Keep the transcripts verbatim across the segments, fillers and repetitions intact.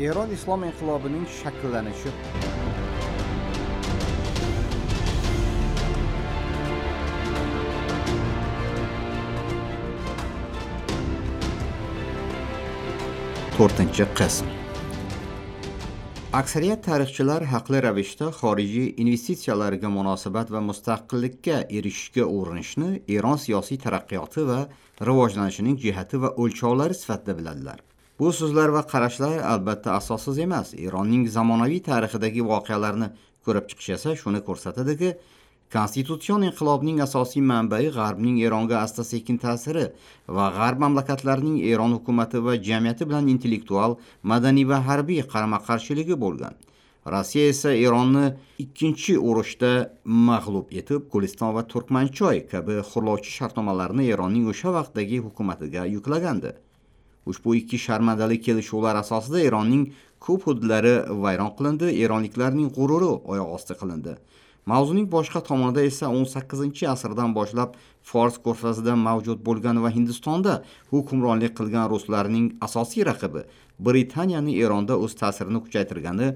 Eron islom inqilobining shakllanishi. To'rtinchi qism. Aksariyat tarixchilar haqli ravishda xorijiy investitsiyalarga munosabat va mustaqillikka erishishga urinishni Eron siyosiy taraqqiyoti va rivojlanishining jihati va o'lchovlari sifatida biladilar. Bu so'zlar va qarashlar albatta asossiz emas. Eronning zamonaviy tarixidagi voqealarni ko'rib chiqish esa shuni ko'rsatadiki, konstitutsion inqilobning asosiy manbai G'arbning Eronga asta-sekin ta'siri va G'arb mamlakatlarining Eron hukumati va jamiyati bilan intellektual, madaniy va harbiy qarama-qarshiligi bo'lgan. Rossiya esa Eronni ikkinchi urushda mag'lub etib, Guliston va Turkmanchoy kabi xurlovchi shartnomalarni Eronning o'sha vaqtdagi hukumatiga yuklagandi. Ushbu ikki sharmandali kelishuvlar asosida Eronning ko'p hududlari vayron qilindi, eronliklarning g'ururi oyoq osti qilindi. Mavzuning boshqa tomonida esa o'n sakkizinchi asrdan boshlab Fors ko'rfazida mavjud bo'lgan va Hindistonda hukmronlik qilgan ruslarning asosiy raqibi Britaniyani Eronda o'z ta'sirini kuchaytirgani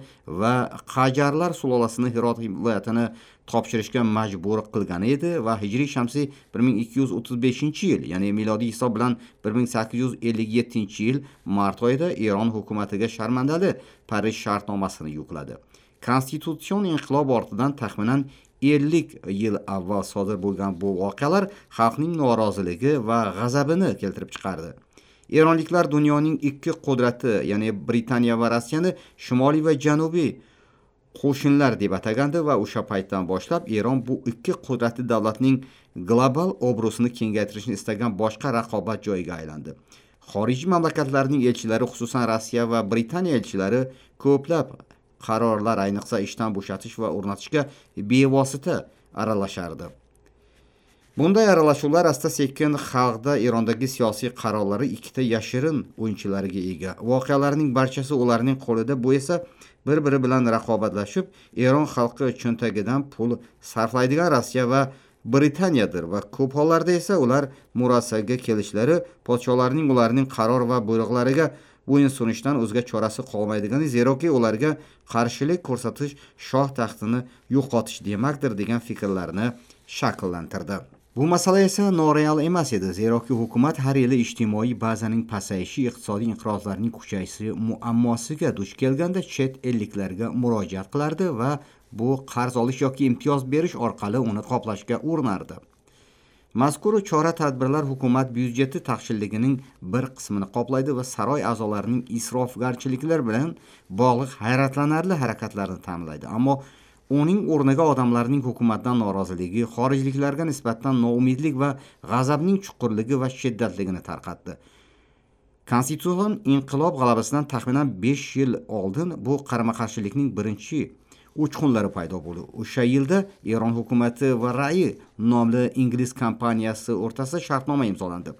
va Qajarlar sulolasini Hirot viloyatini topshirishga majbur qilgani edi va hijriy shamsiy bir ming ikki yuz o'ttiz beshinchi yil, ya'ni milodiy hisob bilan bir ming sakkiz yuz ellik yettinchi yil mart oyida Eron hukumatiga sharmandali Parij shartnomasini yukladi. Konstitutsion inqilob ortidan taxminan ellik yil avval sodir bo'lgan bu voqealar xalqning noroziligi va g'azabini keltirib chiqardi. Eronliklar dunyoning ikki qudrati, ya'ni Britaniya va Rossiyani shimoliy va janubiy qo'shinlar deb atagandi va o'sha paytdan boshlab Eron bu ikki qudratli davlatning global obro'sini kengaytirishni istagan boshqa raqobat joyiga aylandi. Xorijiy mamlakatlarning elchilari, xususan Rossiya va Britaniya elchilari ko'plab qarorlar, ayniqsa ishdan bo'shatish va o'rnatishga bevosita aralashardi. Bunday aralashuvlar asta-sekin xalqda Erondagi siyosiy qarorlari ikkita yashirin o'yinchilariga ega. Voqealarning barchasi ularning qo'lida, bu esa bir-biri bilan raqobatlashib, Eron xalqi cho'ntagidan pul sarflaydigan Rossiya va Britaniyadir va ko'p hollarda esa ular murosaga kelishlari podsholarning ularning qaror va buyruqlariga bo'yin sunishdan o'zga chorasi qolmaydigani, zeroki ularga qarshilik ko'rsatish shoh taxtini yo'qotish demakdir degan fikrlarni shakllantirdi. Bu masala esa noreal emas edi, zeroki hukumat har yili ijtimoiy bazaning pasayishi, iqtisodiy inqirozlarning kuchayishi muammosiga duch kelganda chet elliklarga murojaat qilardi va bu qarz olish yoki imtiyoz berish orqali uni qoplashga urinardi. Mazkur chora-tadbirlar hukumat byudjeti taqchilligining bir qismini qoplaydi va saroy a'zolarining isrofgarchiliklar bilan bog'liq hayratlanarli harakatlarini ta'minlaydi. Ammo uning o'rniga odamlarning hukumatdan noroziligi, xorijliklarga nisbatan noumidlik va g'azabning chuqurligi va shiddatligini tarqatdi. Konstitutsion inqilob g'alabasidan taxminan besh yil oldin bu qarama-qarshilikning birinchi uchqunlari paydo bo'ldi. O'sha yilda Eron hukumati va Rai nomli ingliz kompaniyasi o'rtasida shartnoma imzolandi.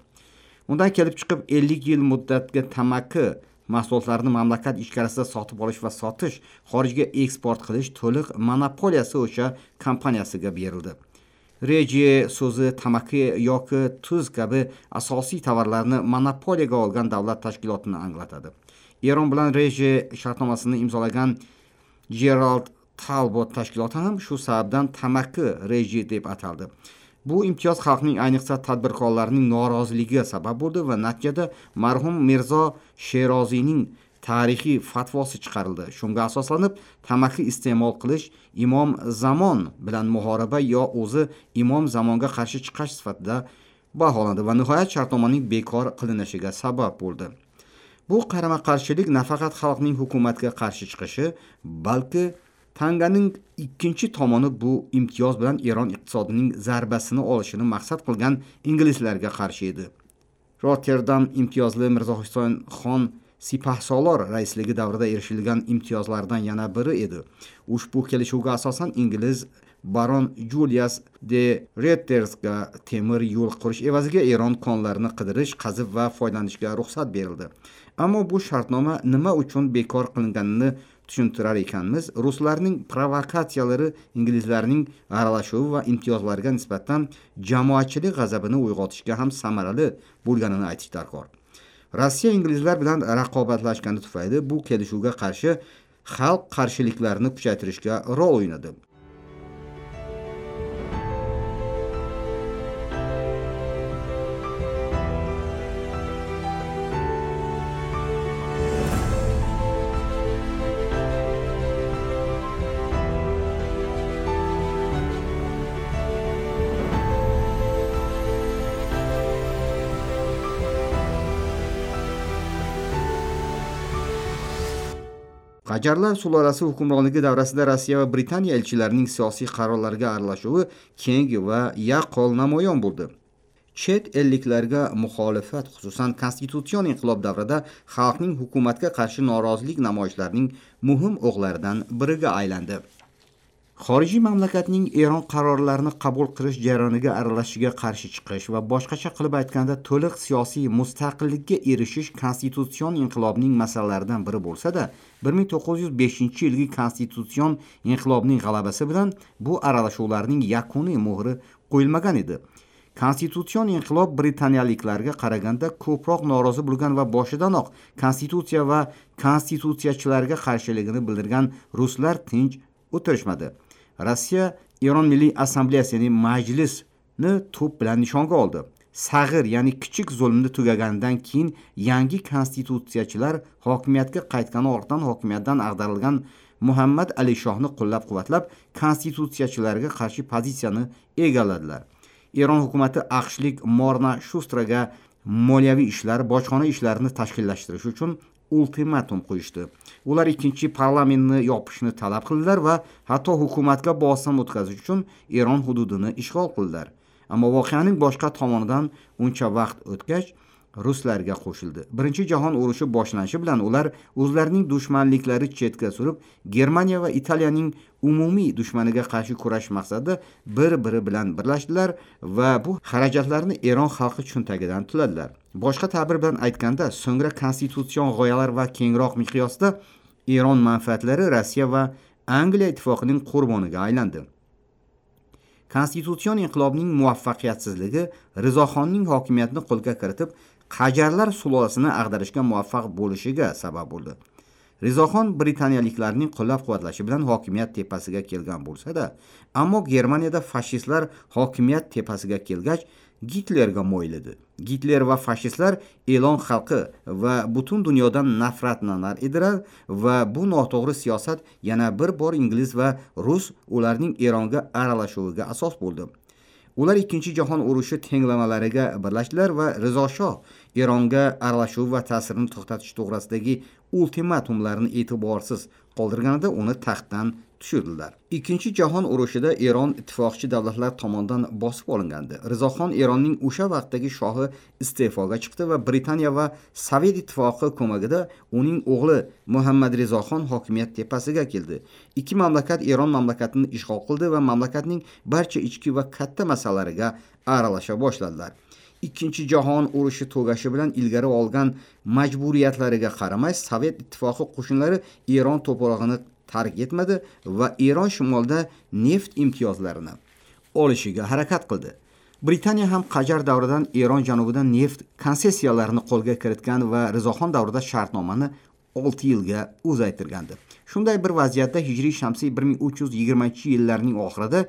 Undan kelib chiqib ellik yil muddatga tamaki mahsulotlarini mamlakat ichkarisida sotib olish va sotish, xorijga eksport qilish to'liq monopoliyasi o'sha kompaniyasiga berildi. Reje so'zi tamaki yoki tuz kabi asosiy tovarlarni monopoliyaga olgan davlat tashkilotini anglatadi. Eron bilan reje shartnomasini imzolagan Gerald Talbot tashkiloti ham shu sababdan tamaki reji deb ataldi. Bu imtiyoz xalqning, ayniqsa tadbirkorlarning noroziligiga sabab bo'ldi va natijada marhum Mirzo Sheroziyning tarixiy fatvosi chiqarildi. Shunga asoslanib, tamaki iste'mol qilish Imom Zamon bilan muhoraba yo o'zi Imom Zamonga qarshi chiqish sifatida baholandi va nihoyat shartnomaning bekor qilinishiga sabab bo'ldi. Bu qarama-qarshilik nafaqat xalqning hukumatga qarshi chiqishi, balki tanganing ikkinchi tomoni bu imtiyoz bilan Eron iqtisodining zarbasini olishini maqsad qilgan inglizlarga qarshi edi. Rotterdam imtiyozli Mirzo Husayn xon Sipahsolor raisligi davrida erishilgan imtiyozlardan yana biri edi. Ushbu kelishuvga asosan ingliz baron Julius de Rettersga temir yo'l qurish evaziga Eron konlarini qidirish, qazib va foydalanishga ruxsat berildi. Ammo bu shartnoma nima uchun bekor qilinganini tushuntirar ekanmiz, ruslarning provokatsiyalari, inglizlarning aralashuvi va imtiyozlarga nisbatan jamoatchilik g'azabini uyg'otishga ham samarali bo'lganini aytish darkor. Rossiya inglizlar bilan raqobatlashgani tufayli bu kelishuvga qarshi xalq qarshiliklarini kuchaytirishga rol o'ynadi. Qajarlar sulolasi hukmronligi davrasida Rossiya va Britaniya elchilarining siyosiy qarorlarga aralashuvi keng va yaqqol namoyon bo'ldi. Chet elliklarga muxolifat, xususan konstitutsion inqilob davrida xalqning hukumatga qarshi norozilik namoyishlarining muhim o'qlaridan biriga aylandi. Xorijiy mamlakatning Eron qarorlarini qabul qilish jarayoniga aralashishiga qarshi chiqish va boshqacha qilib aytganda to'liq siyosiy mustaqillikka erishish konstitutsion inqilobning masalalaridan biri bo'lsa-da, bir ming to'qqiz yuz beshinchi yilgi konstitutsion inqilobning g'alabasi bilan bu aralashuvlarning yakuniy muhri qo'yilmagan edi. Konstitutsion inqilob britaniyaliklarga qaraganda ko'proq norozi bo'lgan va boshidanoq konstitutsiya va konstitutsiyachilarga qarshiligini bildirgan ruslar tinch o'tirishmadi. Rossiya Eron Milliy Assambleyasi, ya'ni majlisni to'p bilan nishonga oldi. Sag'ir, ya'ni kichik zulmni tugaganidan keyin yangi konstitutsiyachilar hokimiyatga qaytgani ortidan hokimiyatdan ag'darilgan Muhammad Ali Shohni qo'llab-quvvatlab konstitutsiyachilarga qarshi pozitsiyani egalladilar. Eron hukumati AQShlik Morna Shustraga moliyaviy ishlar, bojxona ishlarini tashkillashtirish uchun ultimatum qo'yishdi. Ular ikkinchi parlamentni yopishni talab qildilar va hatto hukumatga bosim o'tkazish uchun Eron hududini ishg'ol qildilar. Ammo voqeaning boshqa tomonidan uncha vaqt o'tgach ruslarga qo'shildi. Birinchi jahon urushi boshlanishi bilan ular o'zlarining dushmanliklari chetga surib, Germaniya va Italiyaning umumiy dushmaniga qarshi kurash maqsadida bir-biri bilan birlashdilar va bu xarajatlarni Eron xalqi cho'ntagidan to'ladilar. Boshqa ta'bir bilan aytganda, so'ngra konstitutsion g'oyalar va kengroq miqyosda Eron manfaatlari Rossiya va Angliya ittifoqining qurboniga aylandi. Konstitutsion inqilobning muvaffaqiyatsizligi Rizoxonning hokimiyatni qo'lga kiritib, Qajarlar sulolasini ag'darishga muvaffaq bo'lishiga sabab bo'ldi. Rizoxon britaniyaliklarning qo'llab-quvvatlashi bilan hokimiyat tepasiga kelgan bo'lsa-da, ammo Germaniyada fashistlar hokimiyat tepasiga kelgach Gitlerga moyil edi. Gitler va fashistlar Eron xalqi va butun dunyodan nafratlanar edilar va bu noto'g'ri siyosat yana bir bor ingliz va rus ularning Eronga aralashuviga asos bo'ldi. Ular ikkinchi jahon urushi tenglamalariga birlashdilar va Rizo Shoh Eronga aralashuv va ta'sirini to'xtatish to'g'risidagi ultimatumlarni e'tiborsiz qoldirganida uni taxtdan tushirdilar. Ikkinchi jahon urushida Eron ittifoqchi davlatlar tomonidan bosib olingandi. Rizoxon Eronning o'sha vaqtdagi shohi iste'foga chiqdi va Britaniya va Sovet ittifoqi ko'magida uning o'g'li Muhammad Rizoxon hokimiyat tepasiga keldi. Ikki mamlakat Eron mamlakatini ishg'ol qildi va mamlakatning barcha ichki va katta masalalariga aralasha boshladilar. Ikkinchi jahon urushi tugashi bilan ilgari olgan majburiyatlariga qaramay Sovet ittifoqi qo'shinlari Eron to'prog'ini tark etmadi va Eron shimolida neft imtiyozlarini olishiga harakat qildi. Britaniya ham Qajar davridan Eron janubidan neft konsessiyalarini qo'lga kiritgan va Rizoxon davrida shartnomani olti yilga uzaytirgandi. Shunday bir vaziyatda hijriy shamsiy bir ming uch yuz yigirmanchi yillarning oxirida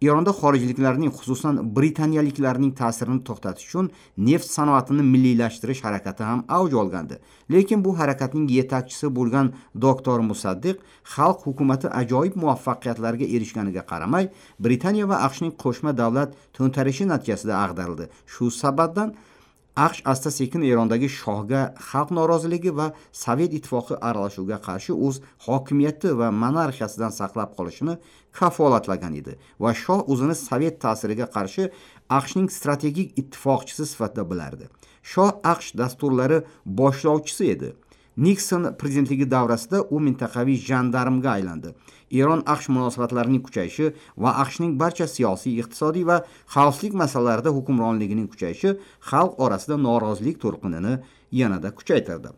Eronda xorijliklarning, xususan britaniyaliklarning ta'sirini to'xtatish uchun neft sanoatini milliylashtirish harakati ham avj olgandi. Lekin bu harakatning yetakchisi bo'lgan doktor Musaddiq xalq hukumati ajoyib muvaffaqiyatlarga erishganiga qaramay, Britaniya va AQShning qo'shma davlat to'ntarishi natijasida ag'darildi. Shu sababdan AQSh asta-sekin Erondagi shohga xalq noroziligi va Sovet ittifoqi aralashuviga qarshi o'z hokimiyati va monarxiyasidan saqlab qolishini kafolatlagan edi va shoh o'zini Sovet ta'siriga qarshi AQShning strategik ittifoqchisi sifatida bilardi. Shoh AQSh dasturlari boshlovchisi edi. Nikson prezidentligi davrasida u mintaqaviy jandarmga aylandi. Eron AQSh munosabatlarining kuchayishi va AQShning barcha siyosiy, iqtisodiy va xavfsizlik masalalarida hukmronligining kuchayishi xalq orasida norozilik to'lqinini yanada kuchaytirdi.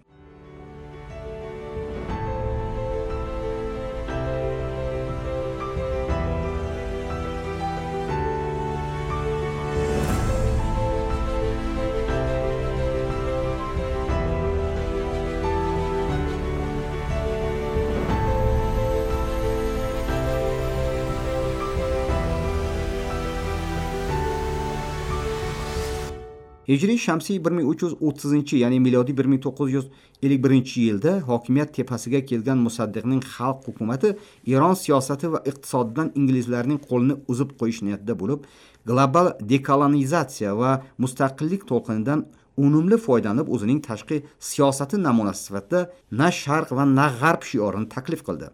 Hijriy shamsiy bir ming uch yuz o'ttizinchi, ya'ni milodiy bir ming to'qqiz yuz ellik birinchi yilda hokimiyat tepasiga kelgan Musaddiqning xalq hukumati Eron siyosati va iqtisodidan inglizlarning qo'lini uzib qo'yish niyatida bo'lib, global dekolonizatsiya va mustaqillik to'lqinidan unumli foydalanib o'zining tashqi siyosati namunasi sifatida na sharq va na g'arb shiorini taklif qildi.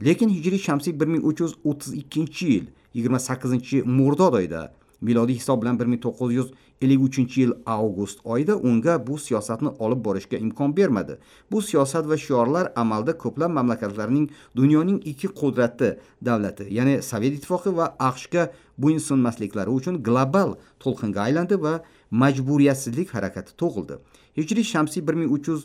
Lekin hijriy shamsiy bir ming uch yuz o'ttiz ikkinchi yil yigirma sakkizinchi murdod oyida, milodiy hisob bilan bir ming to'qqiz yuz ellik uchinchi yil avgust oyida unga bu siyosatni olib borishga imkon bermadi. Bu siyosat va shiorlar amalda ko'plab mamlakatlarning dunyoning ikki qudratli davlati, ya'ni Sovet Ittifoqi va AQShga bo'ysunmasliklari uchun global to'lqinga aylandi va majburiyatsizlik harakati tug'ildi. Hijriy shamsiy bir ming uch yuz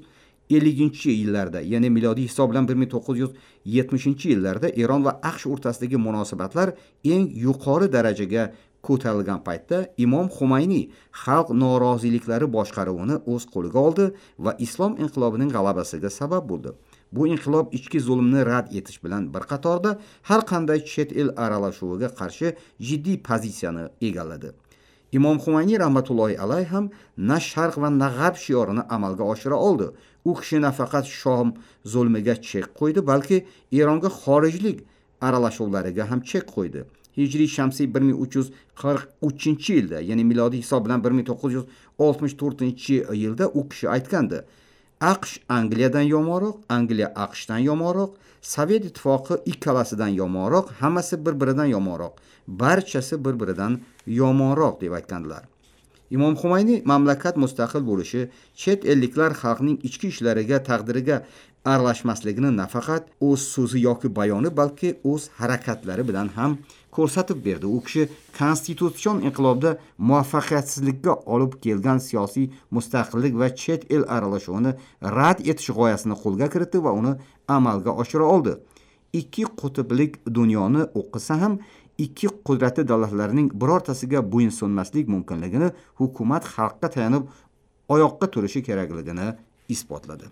elliginchi yillarda, ya'ni milodiy hisob bilan bir ming to'qqiz yuz yetmishinchi yillarda Eron va AQSh o'rtasidagi munosabatlar eng yuqori darajaga ko'tarilgan paytda Imom Xumayniy xalq noroziliklari boshqaruvini o'z qo'liga oldi va islom inqilobining g'alabasiga sabab bo'ldi. Bu inqilob ichki zulmni rad etish bilan bir qatorda har qanday chet el aralashuviga qarshi jiddiy pozitsiyani egalladi. Imom Xumayniy rahmatullohi alayhi ham na sharq va na g'arb shiorini amalga oshira oldi. U kishi nafaqat Shom zulmiga chek qo'ydi, balki Eronga xorijlik aralashuvlariga ham chek qo'ydi. Hijriy shamsiy bir ming uch yuz qirq uchinchi yilda, ya'ni milodiy hisob bilan bir ming to'qqiz yuz oltmish to'rtinchi yilda u kishi aytgandi: AQSh Angliyadan yomonroq, Angliya AQShdan yomonroq, Sovet Ittifoqi ikkalasidan yomonroq, hammasi bir-biridan yomonroq, barchasi bir-biridan yomonroq deb aytgandilar. Imom Xumayniy mamlakat mustaqil bo'lishi, chet elliklar xalqning ichki ishlariga, taqdiriga aralashmasligini nafaqat o'z so'zi yoki bayoni, balki o'z harakatlari bilan ham ko'rsatib berdi. U kishi konstitutsion inqilobda muvaffaqiyatsizlikka olib kelgan siyosiy mustaqillik va chet el aralashuvini rad etish g'oyasini qo'lga kiritdi va uni amalga oshira oldi. Ikki qutblik dunyoni o'qisa ham ikki qudratli davlatlarning birortasiga bo'ysunmaslik mumkinligini, hukumat xalqqa tayanib oyoqqa turishi kerakligini isbotladi.